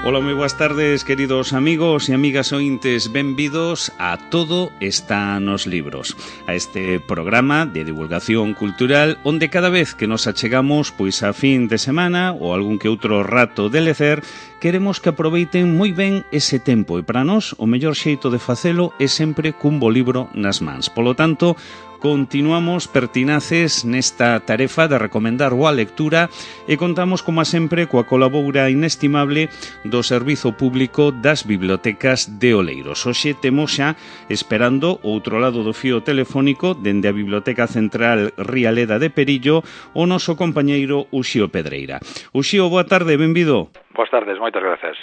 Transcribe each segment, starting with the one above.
Ola, moi boas tardes, queridos amigos e amigas ointes, benvidos a Todo está nos libros, a este programa de divulgación cultural onde cada vez que nos achegamos pois a fin de semana ou algún que outro rato de lecer, queremos que aproveiten moi ben ese tempo e para nós o mellor xeito de facelo é sempre cun bo libro nas mans. Polo tanto, continuamos pertinaces nesta tarefa de recomendar boa lectura e contamos, como sempre, coa colabora inestimable do Servizo Público das Bibliotecas de Oleiros. Hoxe temos xa, esperando outro lado do fío telefónico, dende a Biblioteca Central Rialeda de Perillo, o noso compañeiro Uxío Pedreira. Uxío, boa tarde, benvido. Boas tardes, moitas grazas.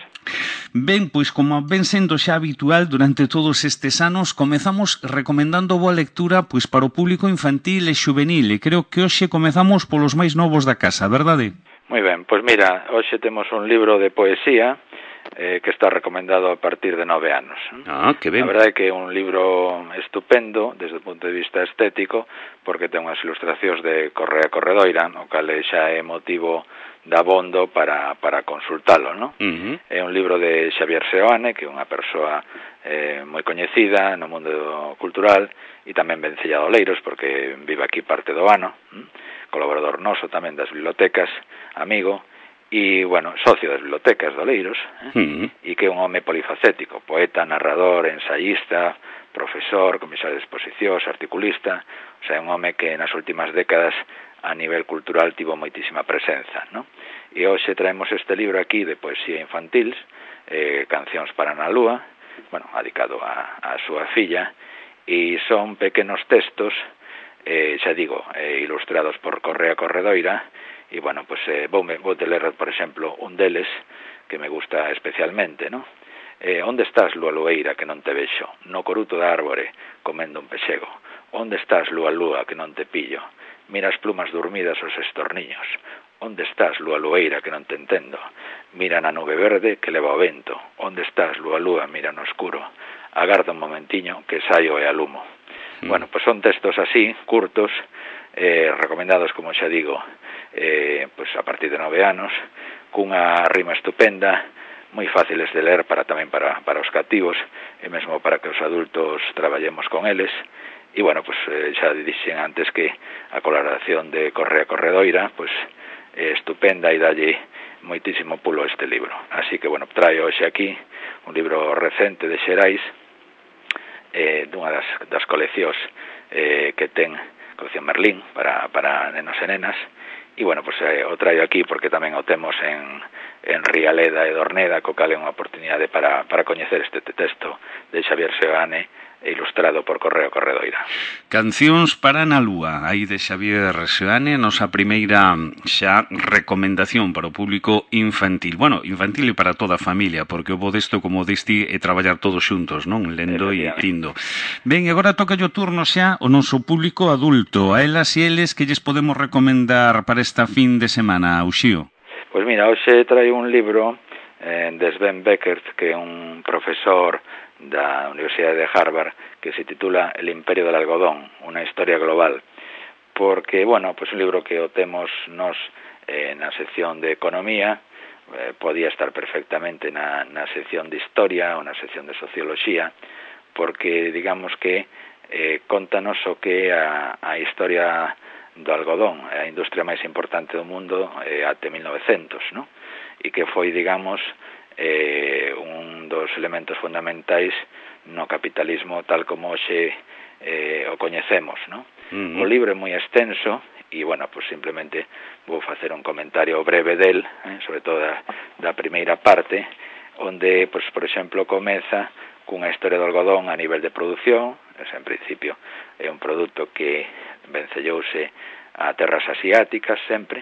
Ben, pois como ven sendo xa habitual durante todos estes anos, comezamos recomendando boa lectura pois para o público infantil e xuvenil, e creo que hoxe comezamos polos máis novos da casa, verdade? Moi ben, pois mira, hoxe temos un libro de poesía que está recomendado a partir de 9 anos. Ah, que ben. A verdade é que é un libro estupendo desde o punto de vista estético, porque ten unhas ilustracións de Correa Corredoira, o cal xa é motivo de abondo para consultalo, non? É un libro de Xavier Seoane, que é unha persoa moi coñecida no mundo cultural e tamén vencella de Oleiros, porque vive aquí parte do ano, colaborador noso tamén das bibliotecas, amigo, e, bueno, socio das bibliotecas de Oleiros, e que é un home polifacético, poeta, narrador, ensayista, profesor, comisario de exposicións, articulista, o sea, é un home que nas últimas décadas a nivel cultural tivo moitísima presenza, non? E hoxe traemos este libro aquí de poesía infantil, Cancións para na Lúa, bueno, dedicado a súa filla, e son pequenos textos, xa digo, ilustrados por Correa Corredoira, e, bueno, pues vou ler, por exemplo, un deles que me gusta especialmente, non? Onde estás, lúa lueira, que non te vexo? No coruto da árbore, comendo un pexego. Onde estás, lúa lúa, que non te pillo? Mira as plumas dormidas os estorniños. Onde estás, lúa lueira, que non te entendo? Mira na nube verde que leva o vento. Onde estás, lúa lúa, mira no escuro? Agarda un momentiño que saio e alumo. Bueno, pues son textos así, curtos, recomendados, como xa digo, pues a partir de 9 anos, cunha rima estupenda, moi fáciles de ler tamén para os cativos, e mesmo para que os adultos traballemos con eles. E, bueno, pues xa dixen antes que a colaboración de Correa Corredoira, pues estupenda, e dalle moitísimo pulo a este libro. Así que, bueno, traio hoxe aquí un libro recente de Xerais, dunha das coleccións que ten, colección Merlín, para nenos e nenas, e, bueno, pues o traio aquí porque tamén o temos en Rialeda e Dorneda, co cal é unha oportunidade para coñecer este texto de Xavier Seoane, ilustrado por Correa Corredoira. Cancións para na Lúa, aí de Xavier Seoane, nosa primeira xa recomendación para o público infantil. Bueno, infantil e para toda a familia, porque o bo desto, como diste, é traballar todos xuntos, non? Lendo e rindo. Ben, agora toca o turno xa o noso público adulto. A elas e eles que lles podemos recomendar para esta fin de semana, Uxío? Pois mira, hoxe traio un libro de Sven Beckert, que é un profesor da Universidade de Harvard, que se titula El imperio del algodón, unha historia global, porque, bueno, pues un libro que o temos nos na sección de economía, podía estar perfectamente na sección de historia ou na sección de socioloxía, porque, digamos que contanos o que é a historia do algodón, a industria máis importante do mundo até 1900, non? E que foi, digamos, un dos elementos fundamentais no capitalismo tal como hoxe o coñecemos, non? O libro é moi extenso e, bueno, pues simplemente vou facer un comentario breve del, sobre todo da primeira parte, onde, pues, por exemplo, comeza cunha historia do algodón a nivel de produción. En principio é un produto que vencellouse a terras asiáticas sempre,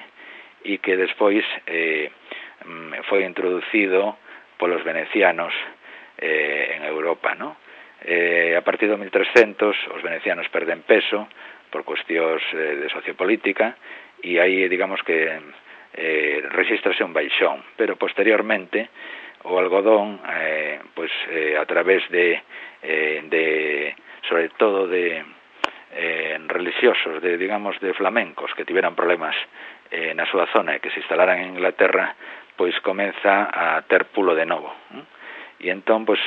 e que despois foi introducido polos venecianos en Europa, ¿no? A partir do 1300 os venecianos perden peso por cuestións de sociopolítica, e aí, digamos que registrase un baixón, pero posteriormente o algodón, a través de sobre todo de religiosos, digamos, de flamencos que tiveran problemas na súa zona e que se instalaran en Inglaterra, pois comeza a ter pulo de novo. E entón, pois,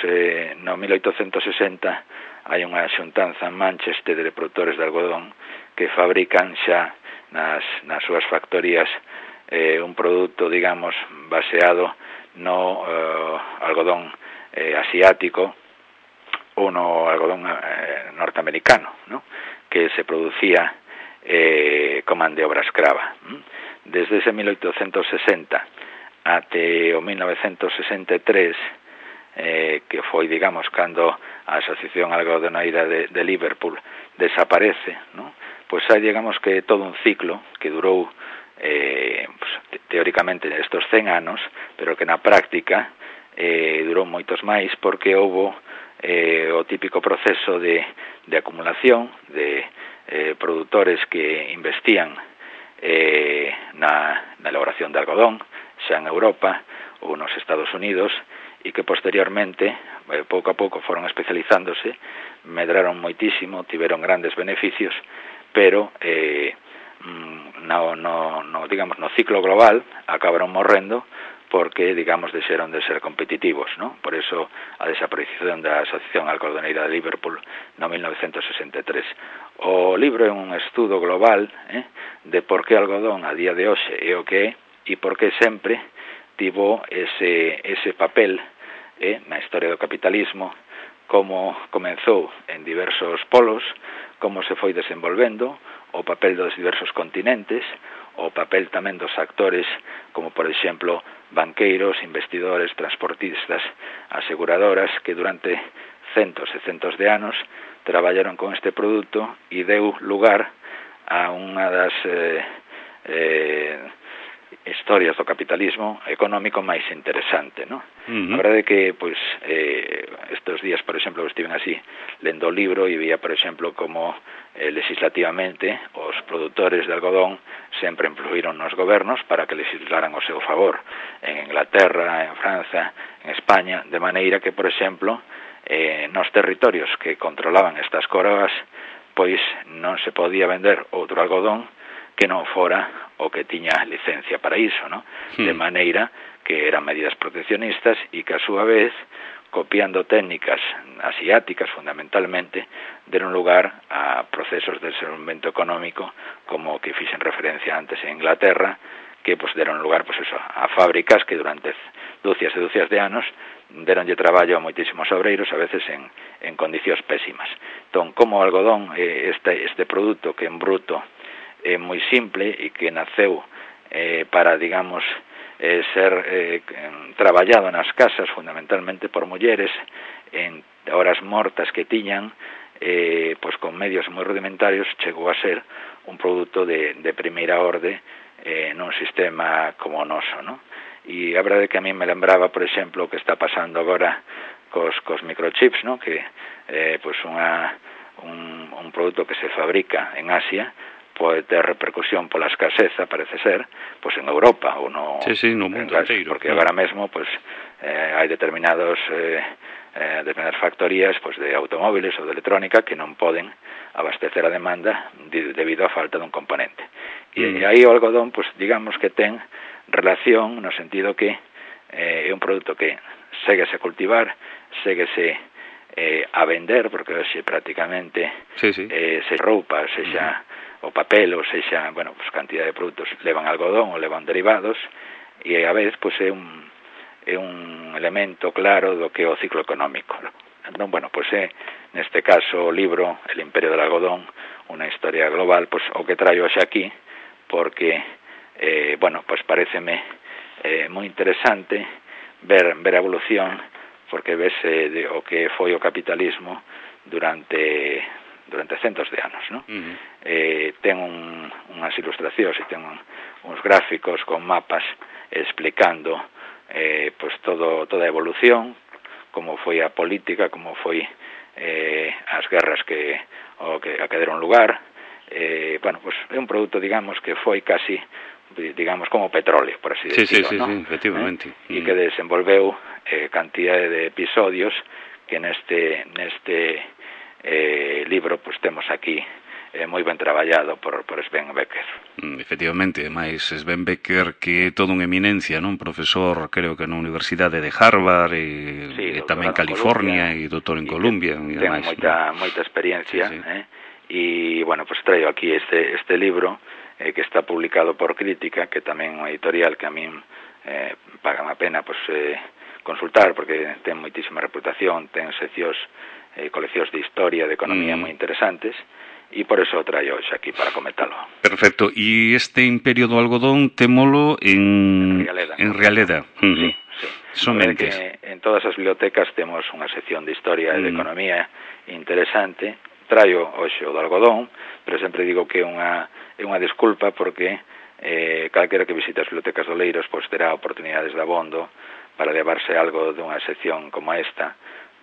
no 1860 hai unha xuntanza en Manchester de produtores de algodón que fabrican xa nas súas factorías un produto, digamos, baseado no algodón asiático ou no algodón norteamericano, ¿no? Que se producía como man de obra escrava. Desde ese 1860 até o 1963, que foi, digamos, cando a Asociación Algodoneira de Liverpool desaparece, ¿no? Pois hai, digamos, que todo un ciclo que durou pues, teóricamente estos 100 anos, pero que na práctica durou moitos máis porque houbo o típico proceso de acumulación de produtores que investían na elaboración de algodón, xa en Europa ou nos Estados Unidos, e que posteriormente, pouco a pouco, foron especializándose, medraron moitísimo, tiveron grandes beneficios, pero digamos, no ciclo global acabaron morrendo porque, digamos, deixaron de ser competitivos, ¿no? Por eso a desaparición da Asociación Algodoneira de Liverpool no 1963. O libro é un estudo global de por que algodón a día de hoxe é o que é e por que sempre tivo ese papel na historia do capitalismo, como comenzou en diversos polos, como se foi desenvolvendo, o papel dos diversos continentes, o papel tamén dos actores, como por exemplo banqueiros, investidores, transportistas, aseguradoras, que durante centos e centos de anos traballaron con este produto e deu lugar a unha das historias do capitalismo económico máis interesante, ¿no? A verdade é que, pois, estes días, por exemplo, estiven así lendo o libro e vía, por exemplo, como legislativamente os produtores de algodón sempre influíron nos gobernos para que legislaran ao seu favor, en Inglaterra, en França, en España, de maneira que, por exemplo, nos territorios que controlaban estas coroas, pois non se podía vender outro algodón que non fora o que tiña licencia para iso, ¿no? De maneira que eran medidas proteccionistas e que a súa vez, copiando técnicas asiáticas fundamentalmente, deron lugar a procesos de desenvolvemento económico como que fixen referencia antes en Inglaterra, que pues deron lugar pues eso, a fábricas que durante dúcias e dúcias de anos deronlle traballo a moitísimos obreiros, a veces en condicións pésimas. Entón, como o algodón, este produto que en bruto é moi simple e que naceu para, digamos, ser traballado nas casas fundamentalmente por mulleres en horas mortas que tiñan, pois con medios moi rudimentarios chegou a ser un produto de primeira orde nun sistema como o noso, ¿no? E a verdade é que a mí me lembraba, por exemplo, o que está pasando agora cos microchips, ¿no? Que pois un produto que se fabrica en Asia pode ter repercusión pola escaseza, parece ser, pois en Europa ou no mundo inteiro, porque agora mesmo pois hai determinadas factorías pois de automóviles ou de electrónica que non poden abastecer a demanda debido á falta dun componente. E aí o algodón, pois digamos que ten relación no sentido que é un produto que séguese a cultivar, séguese a vender, porque hoxe prácticamente se roupa, sexa o papel, ou sexa, bueno, pues cantidad de produtos levan algodón ou levan derivados, e a vez pues é un elemento claro do que é o ciclo económico. Entón, bueno, pues neste caso o libro El imperio del algodón, unha historia global, pues o que traio hoxe aquí, porque bueno, pues paréceme moi interesante ver a evolución, porque ves o que foi o capitalismo durante centos de anos, ¿no? Ten unhas ilustracións e ten uns gráficos con mapas explicando pues toda a evolución, como foi a política, como foi as guerras que deron lugar. Bueno, pues é un produto, digamos, que foi casi, digamos, como petróleo, por así decirlo, ¿no? Sí, efectivamente. E que desenvolveu cantidade de episodios que neste libro pues temos aquí moi ben traballado por Sven Becker. Efectivamente, máis Sven Becker que é todo unha eminencia, non? Profesor, creo que na Universidade de Harvard e tamén California e doutor en Columbia. Ten moita experiencia, e, bueno, pues traio aquí este libro que está publicado por Crítica, que tamén é unha editorial que a min pagan a pena consultar, porque ten moitísima reputación, ten seccións, coleccións de historia, de economía moi interesantes, e por eso o traio hoxe aquí para comentalo. Perfecto. E este Imperio do Algodón témolo en Realeda. Sí. Somente. En todas as bibliotecas temos unha sección de historia e de economía interesante. Traio hoxe o do algodón, pero sempre digo que é unha desculpa porque calquera que visite as bibliotecas do Oleiros pois terá oportunidades de abondo para levarse algo dunha sección como esta,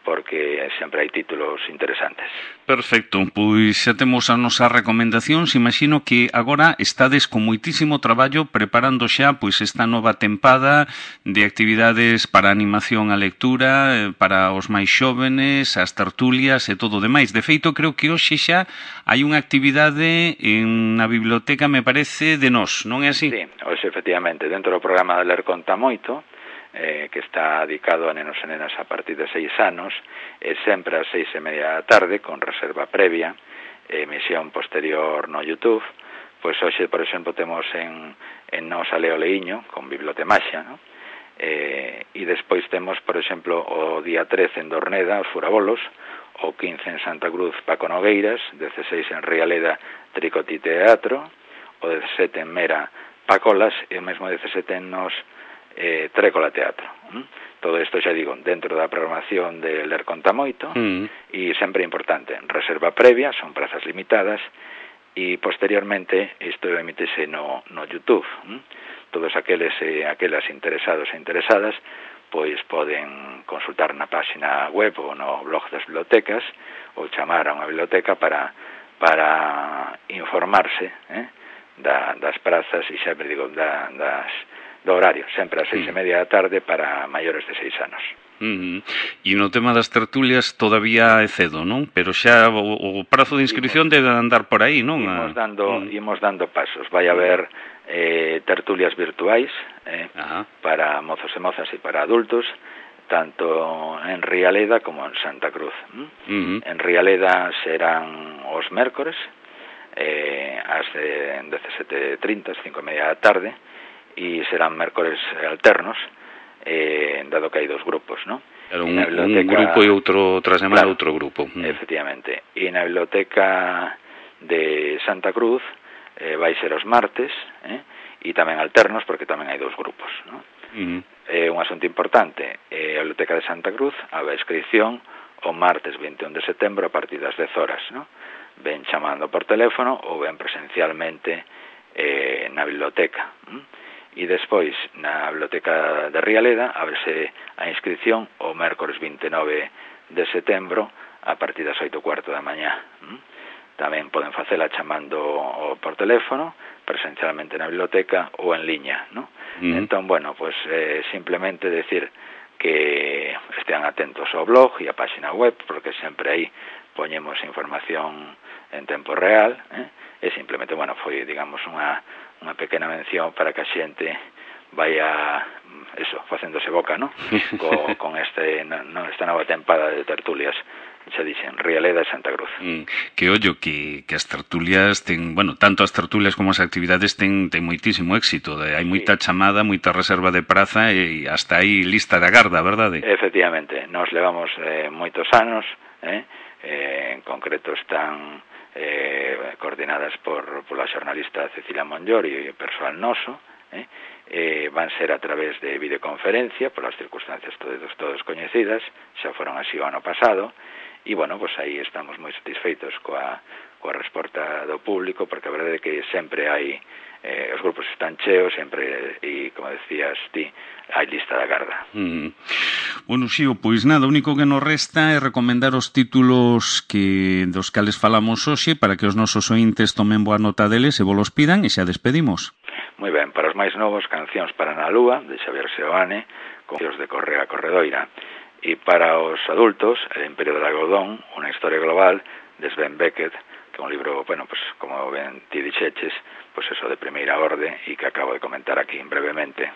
porque sempre hai títulos interesantes. Perfecto, pois xa temos as nosas recomendacións. Imagino que agora estades con moitísimo traballo preparando xa pois esta nova tempada de actividades para animación á lectura, para os máis xóvenes, as tertulias e todo o demais. De feito, creo que hoxe xa hai unha actividade na biblioteca, me parece, de nós, non é así? Sí, hoxe efectivamente, dentro do programa de Ler Conta Moito, que está dedicado a nenos e nenas a partir de 6 anos, sempre ás 6:30 da tarde, con reserva previa, emisión posterior no YouTube. Pois hoxe, por exemplo, temos en Nos a Leo Leiño, con Bibliotemaxia, ¿no? E despois temos, por exemplo, o día 13 en Dorneda, os Furabolos, o 15 en Santa Cruz, Paco Nogueiras, 16 en Rialeda, Tricoti Teatro, o 17 en Mera, Pacolas, e o mesmo 17 en Nos, Trécola Teatro. Todo isto, xa digo, dentro da programación de Ler Conta Moito, e sempre importante, reserva previa, son prazas limitadas, e posteriormente isto emítese no YouTube. Todos aqueles e aquelas interesados e interesadas pois poden consultar na página web ou no blog das bibliotecas ou chamar a unha biblioteca para informarse das prazas, e xa me digo, do horario, sempre ás 6:30 da tarde para maiores de 6 anos. E no tema das tertulias todavía é cedo, non? Pero xa o prazo de inscripción debe andar por aí, non? Imos dando pasos. Vai haber tertulias virtuais para mozos e mozas e para adultos, tanto en Rialeda como en Santa Cruz. En Rialeda serán os mércores, ás 17:30, 5:30 da tarde, e serán mércores alternos, dado que hai dos grupos, ¿no? Un grupo e outro tras semana, claro, outro grupo. Efectivamente. E na biblioteca de Santa Cruz vai ser os martes, e tamén alternos, porque tamén hai dos grupos, ¿no? Un asunto importante, a biblioteca de Santa Cruz abre a inscripción o martes 21 de setembro a partir das 10 horas, ¿no? Ven chamando por teléfono ou ven presencialmente na biblioteca. E despois, na biblioteca de Rialeda, ábrese a inscripción o mércores 29 de setembro a partir das 8:15 da mañá. Tamén poden facela chamando por teléfono, presencialmente na biblioteca ou en liña, ¿no? Entón, bueno, pues simplemente decir que estean atentos ao blog e á página web, porque sempre aí poñemos información en tempo real, e simplemente, bueno, foi, digamos, unha pequena mención para que a xente vaya facéndose boca, ¿no? con esta nova tempada de tertulias, xa dixen, Rialeda e Santa Cruz. Que ollo, que as tertulias ten, bueno, tanto as tertulias como as actividades ten moitísimo éxito, hai moita chamada, moita reserva de praza e hasta aí lista de agarda, verdade? Efectivamente, nos levamos moitos anos, en concreto están coordinadas pola xornalista Cecilia Monllor e o persoal noso, van ser a través de videoconferencia polas circunstancias todos coñecidas, xa foron así o ano pasado, e, bueno, pues aí estamos moi satisfeitos coa resposta do público, porque a verdade é que sempre hai os grupos están cheos, sempre, e, como decías ti, hai lista de agarda. Bueno, Xío, pois nada, o único que nos resta é recomendar os títulos dos cales falamos hoxe para que os nosos ointes tomen boa nota deles e volos pidan, e xa despedimos. Moi ben, para os máis novos, Cancións para na Lúa, de Xavier Seoane, con de Correa Corredoira. E para os adultos, El Imperio del Algodón, unha historia global, de Sven Beckett, que é un libro, bueno, pues como ben ti dixeches, pues eso de primeira orde e que acabo de comentar aquí brevemente.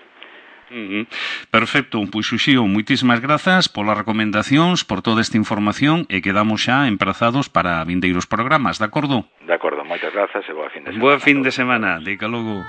Perfecto, pois Uxío, moitísimas grazas polas recomendacións, por toda esta información e quedamos xa emprazados para vindeiros programas, de acordo? De acordo, moitas grazas e boa fin de semana. Boa fin de semana, dica logo.